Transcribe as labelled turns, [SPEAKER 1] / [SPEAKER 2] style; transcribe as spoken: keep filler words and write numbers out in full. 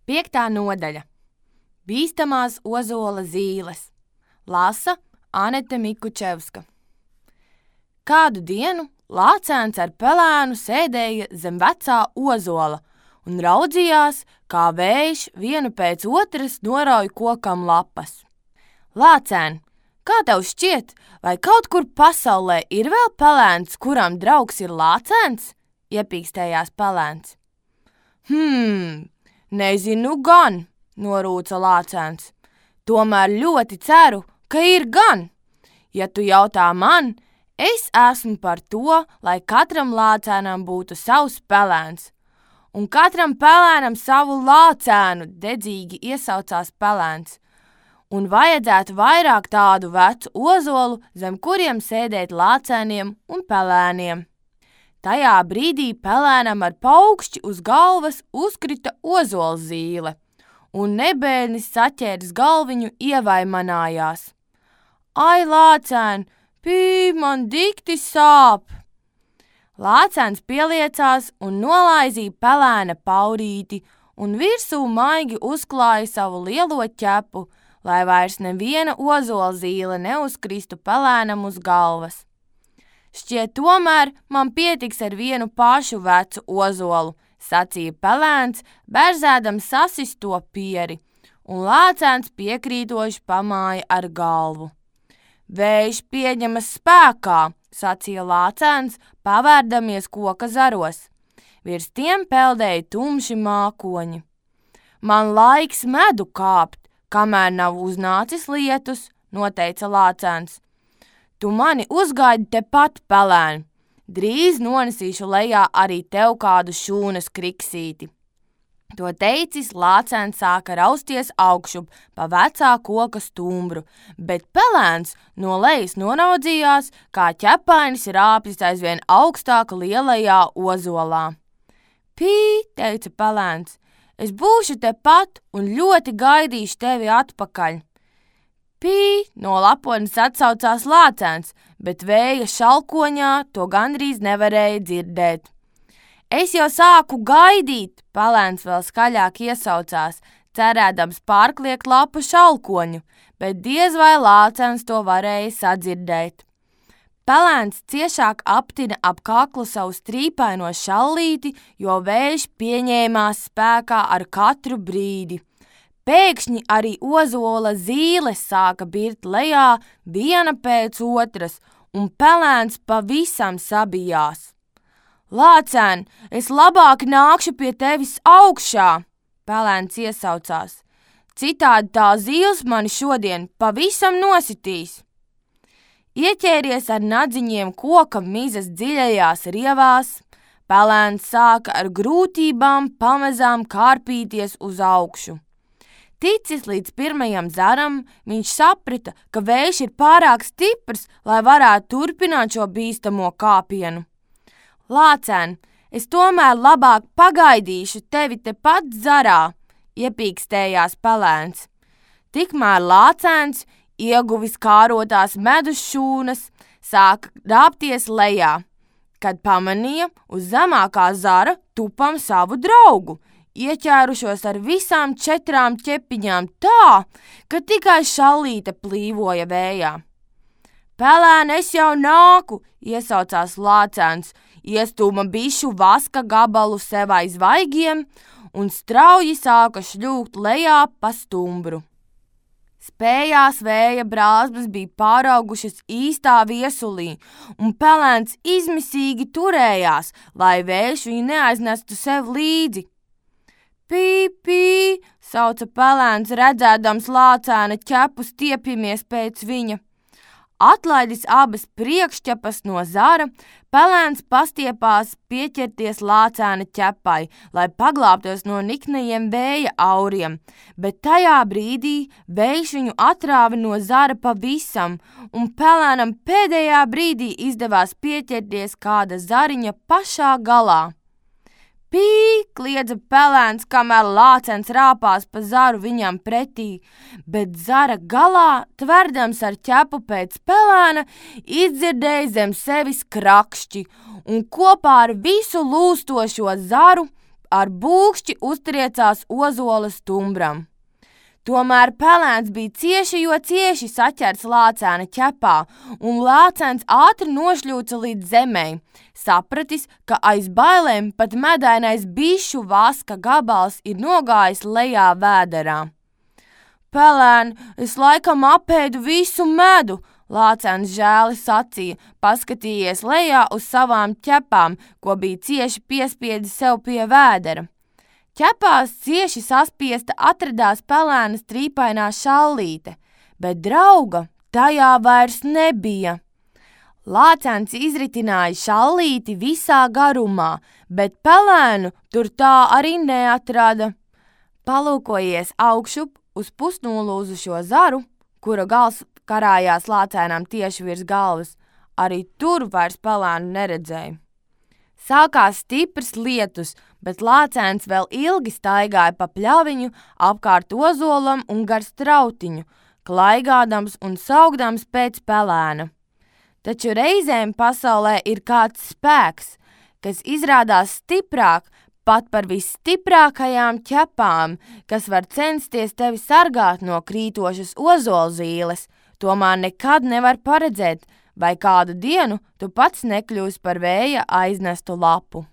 [SPEAKER 1] Piektā nodaļa. Bīstamās ozola zīles. Lasa Anete Mikučevska. Kādu dienu Lācēns ar pelēnu sēdēja zem vecā ozola un raudzījās, kā vējš vienu pēc otras norauj kokam lapas. Lācēn, kā tev šķiet, vai kaut kur pasaulē ir vēl pelēns, kuram draugs ir Lācēns? Iepīkstējās pelēns. Hmm, nezinu gan, norūca Lācēns. Tomēr ļoti ceru, ka ir gan. Ja tu jautā man, es esmu par to, lai katram Lācēnam būtu savs pelēns. Un katram pelēnam savu Lācēnu, dedzīgi iesaucās pelēns. Un vajadzētu vairāk tādu vecu ozolu, zem kuriem sēdēt Lācēniem un pelēniem. Tajā brīdī pelēnam ar paukšķi uz galvas uzkrita ozolzīle, un nebēdnis saķēris galviņu ievaimanājās. Ai, Lācēn, pī, man dikti sāp! Lācēns pieliecās un nolaizīja pelēna paurīti, un virsū maigi uzklāja savu lielo ķepu, lai vairs neviena ozolzīle neuzkristu pelēnam uz galvas. Šķiet, tomēr man pietiks ar vienu pašu vecu ozolu, sacīja pelēns, berzēdams sasisto pieri, un Lācēns piekrītoši pamāja ar galvu. Vējš pieņemas spēkā, sacīja Lācēns, pavērdamies koka zaros. Virs tiem peldēja tumši mākoņi. Man laiks medu kāpt, kamēr nav uznācis lietus, noteica Lācēns. Tu mani uzgaidi tepat, pelēn. Drīz nonesīšu lejā arī tev kādu šūnas kriksīti. To teicis, Lācēns sāka rausties augšup pa vecā koka stumbru, bet pelēns no lejas noraudzījās, kā ķepainis rāpjas aizvien augstāk lielajā ozolā. Pī, teica pelēns, es būšu tepat un ļoti gaidīšu tevi atpakaļ. Pī, no lapones atsaucās Lācēns, bet vēja šalkoņā to gandrīz nevarēja dzirdēt. Es jau sāku gaidīt, pelēns vēl skaļāk iesaucās, cerēdams pārkliegt lapu šalkoņu, bet diez vai Lācēns to varēja sadzirdēt. Pelēns ciešāk aptina ap kaklu savu strīpaino šallīti, jo vējš pieņēmās spēkā ar katru brīdi. Pēkšņi arī ozola zīles sāka birt lejā viena pēc otras, un pelēns pavisam sabijās. Lācēn, es labāk nākšu pie tevis augšā, pelēns iesaucās. Citādi tā zīles mani šodien pavisam nositīs. Ieķēries ar nadziņiem koka mizas dziļajās rievās, pelēns sāka ar grūtībām pamazām kārpīties uz augšu. Ticis līdz pirmajam zaram, viņš saprata, ka vējš ir pārāk stiprs, lai varētu turpināt šo bīstamo kāpienu. Lācēn, es tomēr labāk pagaidīšu tevi tepat zarā, iepīkstējās pelēns. Tikmēr Lācēns, ieguvis kārotās medus šūnas, sāka rāpties lejā, kad pamanīja uz zemākā zara tupam savu draugu, ieķērušos ar visām četrām ķepiņām tā, ka tikai šallīte plīvoja vējā. Pelēn, es jau nāku, iesaucās Lācēns, iestūma bišu vaska gabalu sev aiz vaigiem un strauji sāka šļūkt lejā pa stumbru. Spējās vēja brāzmas bija pāraugušas īstā viesulī, un pelēns izmisīgi turējās, lai vējš viņu neaiznestu sev līdzi. Pī, pī, sauca pelēns, redzēdams Lācēna ķepu stiepjamies pēc viņa. Atlaidis abas priekšķepas no zara, pelēns pastiepās pieķerties Lācēna ķepai, lai paglābtos no niknajiem vēja auriem, bet tajā brīdī vējš viņu atrāva no zara pavisam, un pelēnam pēdējā brīdī izdevās pieķerties kāda zariņa pašā galā. Pī, kliedza pelēns, kamēr Lācēns rāpās pa zaru viņam pretī, bet zara galā, tverdams ar ķepu pēc pelēna, izdzirdēja zem sevis krakšķi un kopā ar visu lūstošo zaru ar būkšķi uztriecās ozola stumbram. Tomēr pelēns bija cieši, jo cieši saķerts lācēna ķepā, un lācēns ātri nošļūca līdz zemei, sapratis, ka aiz bailēm pat medainais bišu vaska gabals ir nogājis lejā vēderā. Pelēn, es laikam apēdu visu medu, lācēns žēli sacīja, paskatījies lejā uz savām ķepām, ko bija cieši piespiedis sev pie vēdera. Ķepās cieši saspiesta atradās pelēna strīpainā šallīte, bet drauga tajā vairs nebija. Lācēns izritināja šallīti visā garumā, bet pelēnu tur tā arī neatrada. Palūkojies augšup uz pusnolūzušo zaru, kura gals karājās lācēnām tieši virs galvas, arī tur vairs pelēnu neredzēja. Sākās stiprs lietus, bet lācēns vēl ilgi staigāja pa pļaviņu apkārt ozolam un gar strautiņu, klaigādams un saugdams pēc pelēna. Taču reizēm pasaulē ir kāds spēks, kas izrādās stiprāk pat par visstiprākajām ķepām, kas var censties tevi sargāt no krītošas ozolzīles, tomēr nekad nevar paredzēt, vai kādu dienu tu pats nekļūsi par vēja aiznestu lapu.